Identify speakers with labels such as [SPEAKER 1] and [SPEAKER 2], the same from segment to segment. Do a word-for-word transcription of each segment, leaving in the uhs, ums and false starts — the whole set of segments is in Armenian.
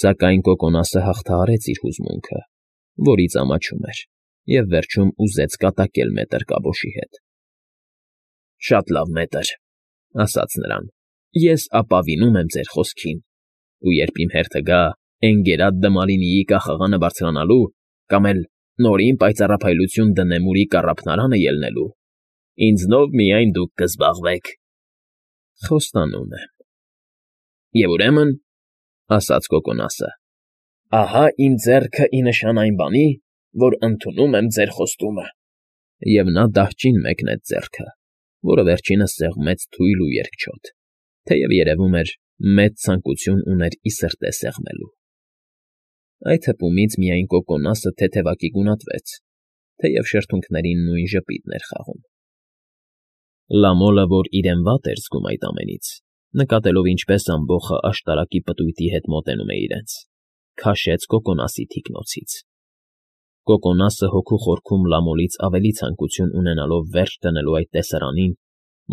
[SPEAKER 1] Սակայն Կոկոնասը հաղթահարեց իր հուզմունքը, որից ամաչում էր, և վերջում ուզեց կատակել մետր֊կաբոշի հետ։ ֊ Շատ լավ, մետր,֊ ասաց նրան,֊ ես ապավինում եմ ձեր խոսքին, ու երբ իմ հերթը գա Էնգերադ Դմալինիի կախաղանը բարձրանալու կամ էլ նորին պայծառափայլություն Դնեմուրի կառափնարանը ելնելու, ինձնով միայն դուք կզբաղվեք։ ֊ Խոստանում եմ։ ֊ Եվ ուրեմն,֊ ասաց Կոկոնասը,֊ ահա իմ ձեռքը ի նշան այն բանի, որ ընդունում եմ ձեր խոստումը… Եվ նա դահճին մեկնեց ձեռքը, որը վերջինս սեղմեց թույլ ու երկչոտ, թեև, երևում էր, մեծ ցանկություն ուներ ի սրտե սեղմելու։ Այդ հպումից միայն Կոկոնասը թեթևակի գունատվեց, թեև շրթունքներին նույն ժպիտն էր խաղում։ Լամոլը, որ իրեն վատ էր զգում այդ ամենից, նկատելով ինչպես ամբոխը աշտարակի պտույտի հետ մոտենում է իրենց, քաշեց Կոկոնասի թիկնոցից։ Կոկոնասը հոգու խորքում Լամոլից ավելի ցանկություն ունենալով վերջ դնելու այդ տեսարանին,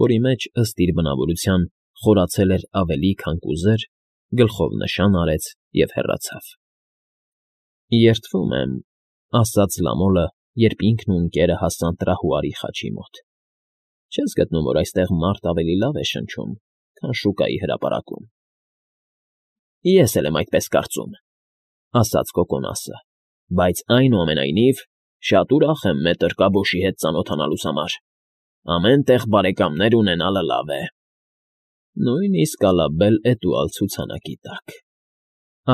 [SPEAKER 1] որի մեջ, ըստ իր բնավորության, խորացել էր ավելի, քան կուզեր, գլխով նշան արեց և հեռացավ։ ֊ Երդվում եմ,֊ ասաց Լամոլը, երբ ինքն ու Ընկերը հասան տրահուարի խաչի մոտ,֊ չես գտնում, որ այստեղ մարդ ավելի լավ է շնչում, քան շուկայի հրապարակում։ ֊ Ես էլ եմ այդպես կարծում,֊ ասաց Կոկոնասը,֊ բայց, այնուամենայնիվ, շատ ուրախ եմ մետր֊կաբոշի հետ ծանոթանալուս համար… Ամեն տեղ բարեկամներ ունենալը լավ է։ ֊ Նույնիսկ Ալաբել֊Էտուալ ցուցանակի տակ,֊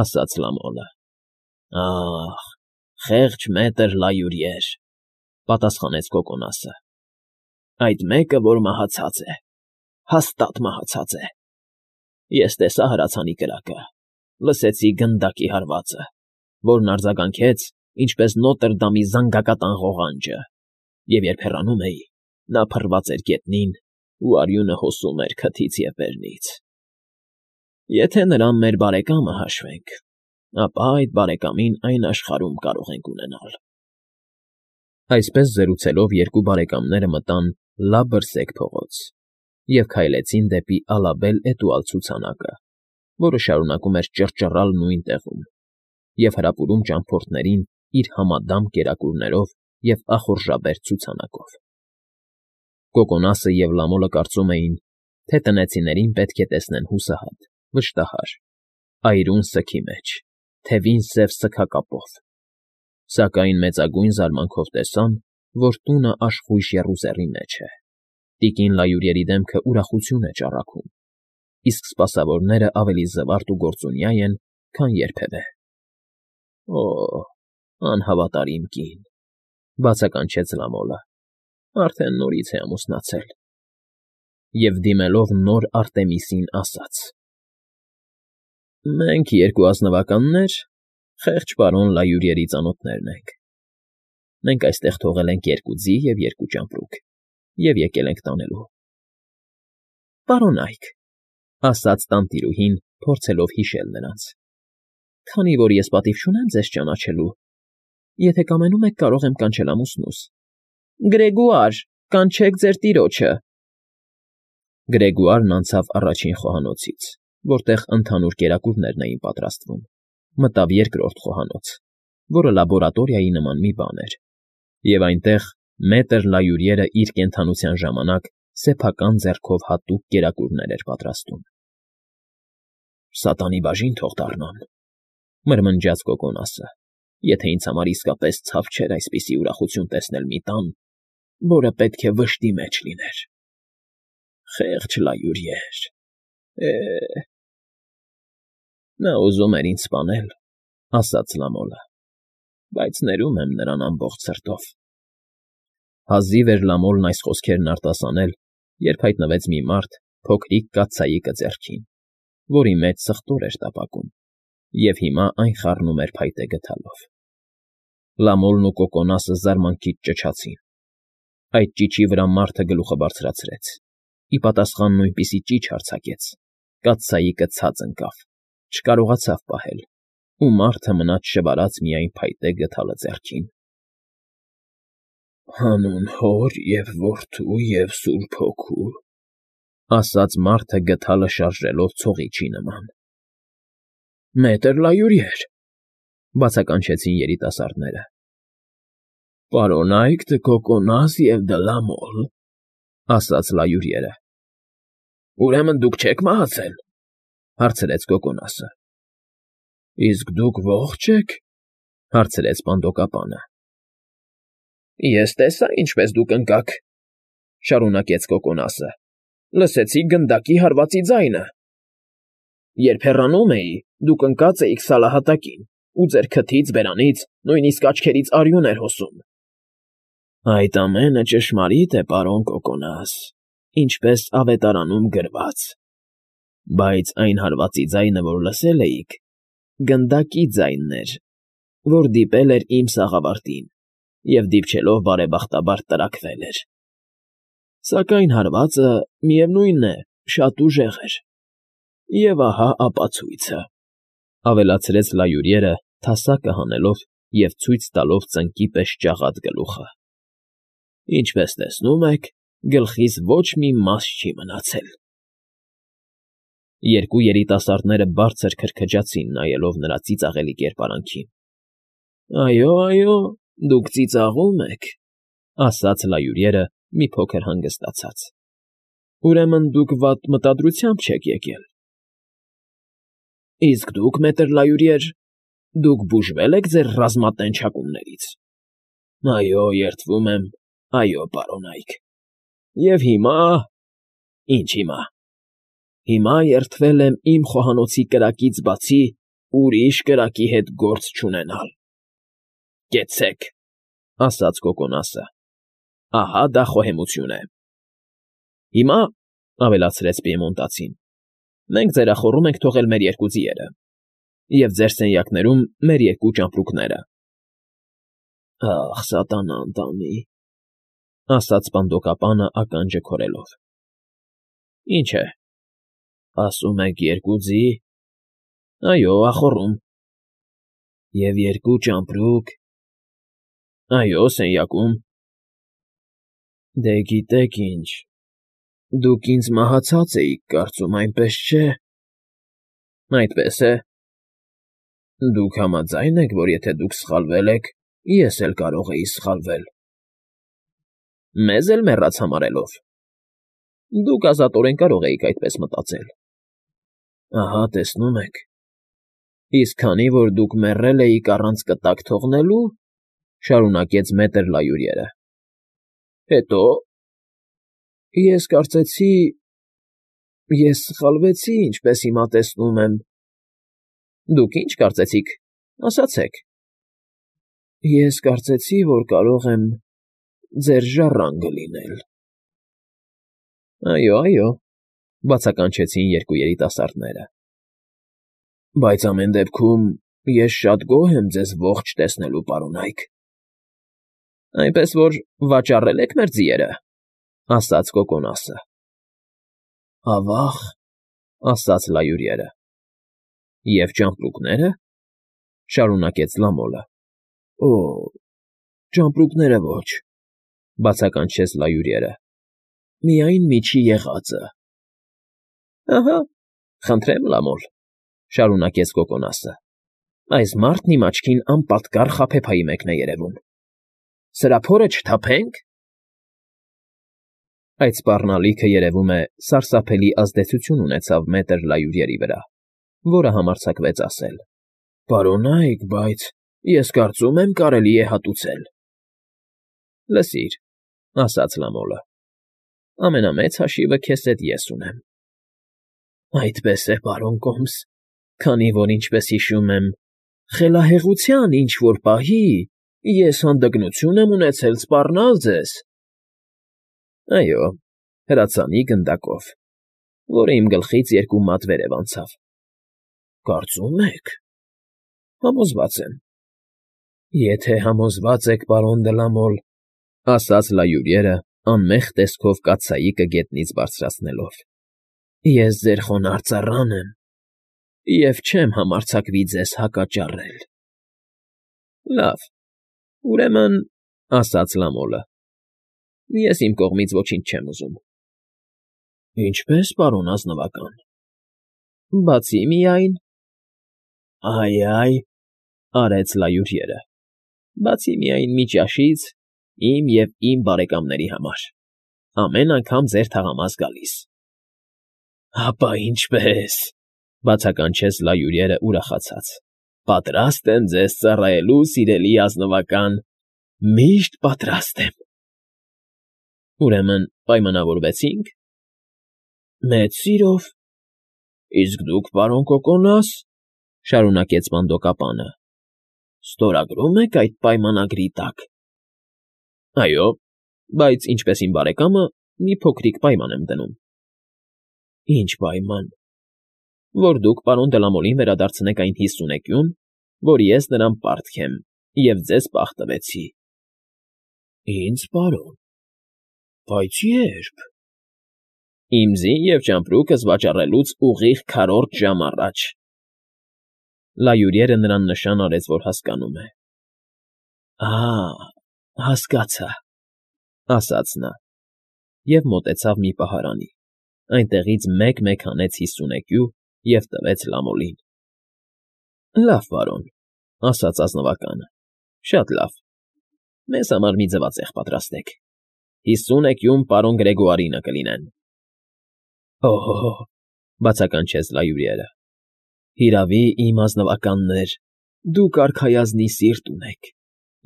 [SPEAKER 1] ասաց Լամոլը։ ֊ Ա՜խ, խեղճ մետր Լայուրիեր,֊ պատասխանեց Կոկոնասը,֊ այդ մեկը, որ մահացած է, հաստատ մահացած է… Ես տեսա հրացանի կրակը, լսեցի գնդակի հարվածը, որն արձագանքեց, ինչպես Նոտրդամի զանգակատան ղողանջը, և երբ հեռանում էի, նա փռված էր գետնին ու արյունը հոսում էր քթից և բերնից… Եթե նրան մեր բարեկամը հաշվենք, ապա այդ բարեկամին այն աշխարհում կարող ենք ունենալ… Այսպես զրուցելով երկու բարեկամները մտան լաբրսեկ փողոց և քայլեցին դեպի Ալաբել֊Էտուալ ցուցանակը, որը շարունակում էր ճռճռալ նույն տեղում և հրապուրում ճամփորդներին իր համադամ կերակուրներով և ախորժաբեր ցուցանակով։ Կոկոնասը և Լամոլը կարծում էին, թե տնեցիներին պետք է տեսնեն հուսահատ, վշտահար, այրուն սգի մեջ, թևին սև սգակապով, սակայն մեծագույն զարմանքով տեսան, որ տունը աշխույժ եռուզեռի մեջ է, տիկին Լայուրիերի դեմքը ուրախություն է ճառագում, իսկ սպասավորները ավելի զվարթ ու գործունյա են, քան երբևէ։ ֊ Օ՜, անհավատարիմ կին,֊ բացականչեց Լամոլը,֊ արդեն նորից է ամուսնացել… Եվ դիմելով նոր Արտեմիսին ասաց. «Մենք երկու ազնվականներ, խեղճ պարոն Լայուրիերի ծանոթներն ենք… Մենք այստեղ թողել ենք երկու ձի և երկու ճամպրուկ և եկել ենք տանելու»։ ֊ Պարոնա՛յք,֊ ասաց տանտիրուհին, փորձելով հիշել նրանց,֊ քանի որ ես պատիվ չունեմ ձեզ ճանաչելու, եթե կամենում եք, կարող եմ կանչել ամուսնուս… Գրեգուար, կանչեք ձեր տիրոջը… Գրեգոարն անցավ առաջին խոհանոցից, որտեղ ընդհանուր կերակուրներն էին պատրաստվում, մտավ երկրորդ խոհանոց, որը լաբորատորիայի նման մի բան էր, և այնտեղ մետր Լայուրիերը իր կենդանության ժամանակ սեփական ձեռքով հատուկ կերակուրներ էր պատրաստում։ ֊ Սատանի բաժին թող դառնան,֊ մրմնջաց Կոկոնասը,֊ եթե ինձ համար իսկապես ցավ չէր այսպիսի ուրախություն տեսնել մի տան, որը պետք է վշտի մեջ լիներ… Խեղճ Լայուրիեր… Է՜… Նա ուզում էր ինձ սպանել,֊ ասաց Լամոլը,֊ բայց ներում եմ նրան ամբողջ սրտով… Հազիվ էր Լամոլն այս խոսքերն արտասանել, երբ հայտնվեց մի մարդ փոքրիկ կաթսայիկը ձեռքին, որի մեջ սխտոր էր տապակում, և հիմա այն խառնում էր փայտե գդալով։ Լամոլն ու Կոկոնասը զարմանքից ճչացին։ Այդ ճիչի վրա մարդը գլուխը բարձրացրեց, ի պատասխան նույնպիսի ճիչ արձակեց, կաթսայիկը ցած ընկավ, չկարողացավ պահել, ու մարդը մնաց շվարած միայն փայտե գդալը ձեռքին։ ֊ Հանուն Հոր և Որդու և Սուրբ Հոգու,֊ ասաց մարդը գդալը շարժելով ցողիչի նման։ Մետր լայուրիեր, բացականչեցին երիտասարդները։ Պարոնայք դը կոկոնաս և դը լամոլ, ասաց լայուրիերը։ Ուրեմն դուք չեք մահացել, հարցրեց կոկոնասը։ Իսկ դուք ողջ եք, հարցրեց պանդոկապանը։ Ես տեսա, ինչպես դուք ընկաք, շարունակեց կոկոնասը, լսեցի գնդակի հարվածի ձայնը։ Երբ հեռանում էի, դուք ընկած էիք սալահատակին, ու ձեր քթից, բերանից, նույնիսկ աչքերից արյուն էր հոսում։ Այդ ամենը ճշմարիտ է, պարոն Կոկոնաս, ինչպես ավետարանում գրված, բայց այն հարվածի ձայնը, որ լսել էիք, գնդակի ձայնն էր, որ դիպել էր իմ սաղավարտին և դիպչելով բարեբախտաբար տրաքվել էր։ Սակայն հարվածը, միևնույն է, շատ ուժեղ էր։ Եվ ահա ապացույցը, ավելացրեց լայուրիերը, թասակը հանելով և ցույց տալով ծնկի պես ճաղած գլուխը։ Ինչպես տեսնում եք, գլխիս ոչ մի մաս չի մնացել։ Երկու երիտասարդները բարձր քրքջացին, նայելով նրա ծիծաղելի կերպարանքին։ Այո, այո, դուք ծիծաղում եք, ասաց լայուրիերը մի փոքր հանգստացած։ Ուրեմն դուք վատ մտադրությամբ չեք եկել։ Իսկ դուք, մետր լայուրիեր, դուք բուժվե՞լ եք ձեր ռազմատենչակումներից։ Այո, երդվում եմ, այո, պարոնայք։ Եվ հիմա… Ինչ հիմա։ Հիմա երդվել եմ իմ խոհանոցի կրակից բացի ուրիշ կրակի հետ գործ չունենալ։ Կեցցեք, ասաց կոկոնասը։ Ահա դա խոհեմություն է։ Հիմա, ավելացրեց պիեմոնտացին, մենք ձերախոռում ենք թողել մեր երկու ձիերը և ձեր սենյակներում մեր երկու ճամպրուկները։ Ախ, սատանան տանի, ասաց պանդոկապանը ականջը քորելով։ Ինչ է, ասում եք երկու ձի։ Այո, ախոռում։ Եվ երկու ճամպրուկ։ Այո, սենյակում։ Դե գիտեք ինչ, դուք ինձ մահացած էիք կարծում, այնպես չէ։ Այդպես է։ Դուք համաձայն եք, որ եթե դուք սխալվել եք, ես էլ կարող էի սխալվել։ Մեզ էլ մեռած համարելով։ Դուք ազատորեն կարող էիք այդպես մտածել։ Ահա, տեսնում եք։ Իսկ քանի որ դուք մեռել էիք առանց կտակ թողնելու, շարունակեց մետր լայուրիերը։ Հետո… Ես կարծեցի… Ես սխալվեցի, ինչպես հիմա տեսնում եմ։ Դուք ինչ կարծեցիք, ասացեք։ Ես կարծեցի, որ կարող եմ ձեր ժառանգը լինել։ Այո, այո, բացականչեցին երկու երիտասարդները։ Բայց ամեն դեպքում ես շատ գոհ եմ ձեզ ողջ տեսնելու, պարոնայք։ Այնպես որ վաճառել եք մեր ձիերը, ասաց կոկոնասը։ Ավա՜ղ, ասաց լայուրիերը։ Եվ ճամպրուկները, շարունակեց լամոլը։ Օ, ճամպրուկները ոչ, բացականչեց լայուրիերը։ Միայն միջի եղածը։ Ահա, խնդրեմ, լամոլ, շարունակեց կոկոնասը։ Այս մարդն իմ աչքին անպատկառ խաբեբայի մեկն է երևում։ Սրա փորը չթափե՞նք։ Այդ սպառնալիքը, երևում է, սարսափելի ազդեցություն ունեցավ մետր լայուրիերի վրա, որը համարձակվեց ասել. Պարոնայք, բայց ես կարծում եմ, կարելի է հատուցել։ Լսիր, ասաց լամոլը, ամենամեծ հաշիվը քեզ հետ ես ունեմ։ Այդպես է, պարոն Կոմս, քանի որ, ինչպես հիշում եմ, խելահեղության ինչ-որ պահի ես հանդգնություն եմ ունեցել սպառնալ ձեզ։ Այո, հրացանի գնդակով, որը իմ գլխից երկու մատ վերև անցավ։ Կարծում եք։ Համոզված եմ։ Եթե համոզված եք, պարոն Դլամոլ, ասաց լայուրիերը, անմեղ տեսքով կաթսայիկը գետնից բարձրացնելով, ես ձեր խոնարհ ծառան եմ և չեմ համարձակվի ձեզ հակաճառել։ Լավ, ուրեմն, ասաց լամոլը, ես իմ կողմից ոչինչ չեմ ուզում։ Ինչպե՞ս, պարոն ազնվական։ Բացի միայն… Այ֊այ,֊ արեց լայուրյերը,֊ բացի միայն մի ճաշից, իմ և իմ բարեկամների համար, ամեն անգամ ձեր թաղամաս գալիս։ ֊ Հապա ինչպե՜ս,֊ բացականչեց լայուրյերը ուրախացած,֊ պատրաստ եմ ձեզ ծառայելու, սիրելի ազնվական, միշտ պատրաստ եմ։ ֊ Ուրեմն պայմանավորվեցի՞նք։ ֊ Մեծ սիրով։ ֊ Իսկ դուք, պարոն Կոկոնաս,֊ շարունակեց վանդոկապանը,֊ ստորագրո՞ւմ եք այդ պայմանագրի տակ։ ֊ Այո, բայց ինչպես իմ բարեկամը, մի փոքրիկ պայման եմ դնում։ ֊ Ի՞նչ պայման։ ֊ Որ դուք պարոն Դլամոլին վերադարձնեք այն հիսունեկյուն, որ ես նրան պարտք եմ և ձեզ պահ տվեցի։ ֊ Ինձ, պարոն, բայց ե՞րբ։ ֊ Իմ ձին և ճամպրուկս վաճառելուց ուղիղ քառորդ ժամ առաջ։ Լայուրյերը նրան նշան արեց, որ հասկանում է։ ֊ Ա՜, հասկացա,֊ ասաց նա և մոտեցավ մի պահարանի, այնտեղից մեկ֊մեկ հանեց հիսունեկյու և տվեց Լամոլին։ ֊ Լավ, պարոն,֊ ասաց ազնվականը,֊ շատ լավ, մեզ համար մի ձվածեղ պատրաստեք, հիսուն էկյուն պարոն Գրեգոարինը կլինեն։ ֊ Հո՜հո՜, բացականչեց լայուրյերը,֊ հիրավի, իմ ազնվականներ, դուք արքայազնի սիրտ ունեք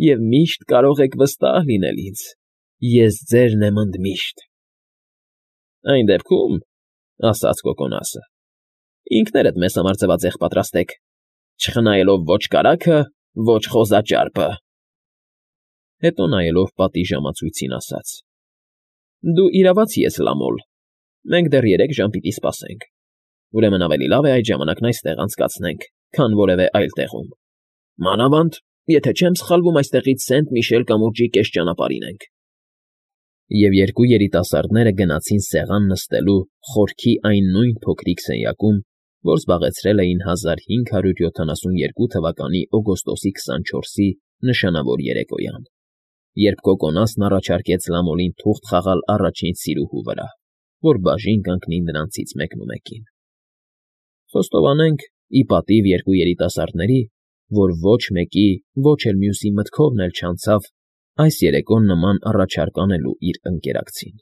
[SPEAKER 1] և միշտ կարող եք վստահ լինել ինձ, ես ձերն եմ ընդմիշտ։ ֊ Այն դեպքում,֊ ասաց Կոկոնասը,֊ ինքներդ մեզ համար ձվածեղ պատրաստեք, չխնայելով ոչ կարագը, ոչ խոզաճարպը։ Հետո նայելով պատի ժամացույցին, ասաց. «Դու իրավացի ես, Լամոլ, մենք դեռ երեք ժամ պիտի սպասենք, ուրեմն ավելի լավ է այդ ժամանակն այստեղ անցկացնենք, քան որևէ այլ տեղում, մանավանդ, եթե չեմ սխալվում, այստեղից Սենտ Միշել կամուրջի կես ճանապարհին ենք»։ Եվ երկու երիտասարդները գնացին սեղան նստելու խորքի այն նույն փոքրիկ սենյակում, որ զբաղեցրել էին հազար հինգ հարյուր յոթանասունյերկու թվականի օգոստոսի քսանչորսի նշանավոր երեկոյան, երբ Կոկոնասն առաջարկեց Լամոլին թուղթ խաղալ առաջին սիրուհու վրա, որ բաժին կանգնի նրանցից մեկնումեկին։ Խոստովանենք, ի պատիվ երկու երիտասարդների, որ ոչ մեկի, ոչ էլ մյուսի մտքովն էլ չանցավ այս երեկոն նման առաջարկ անելու իր ընկերակցին։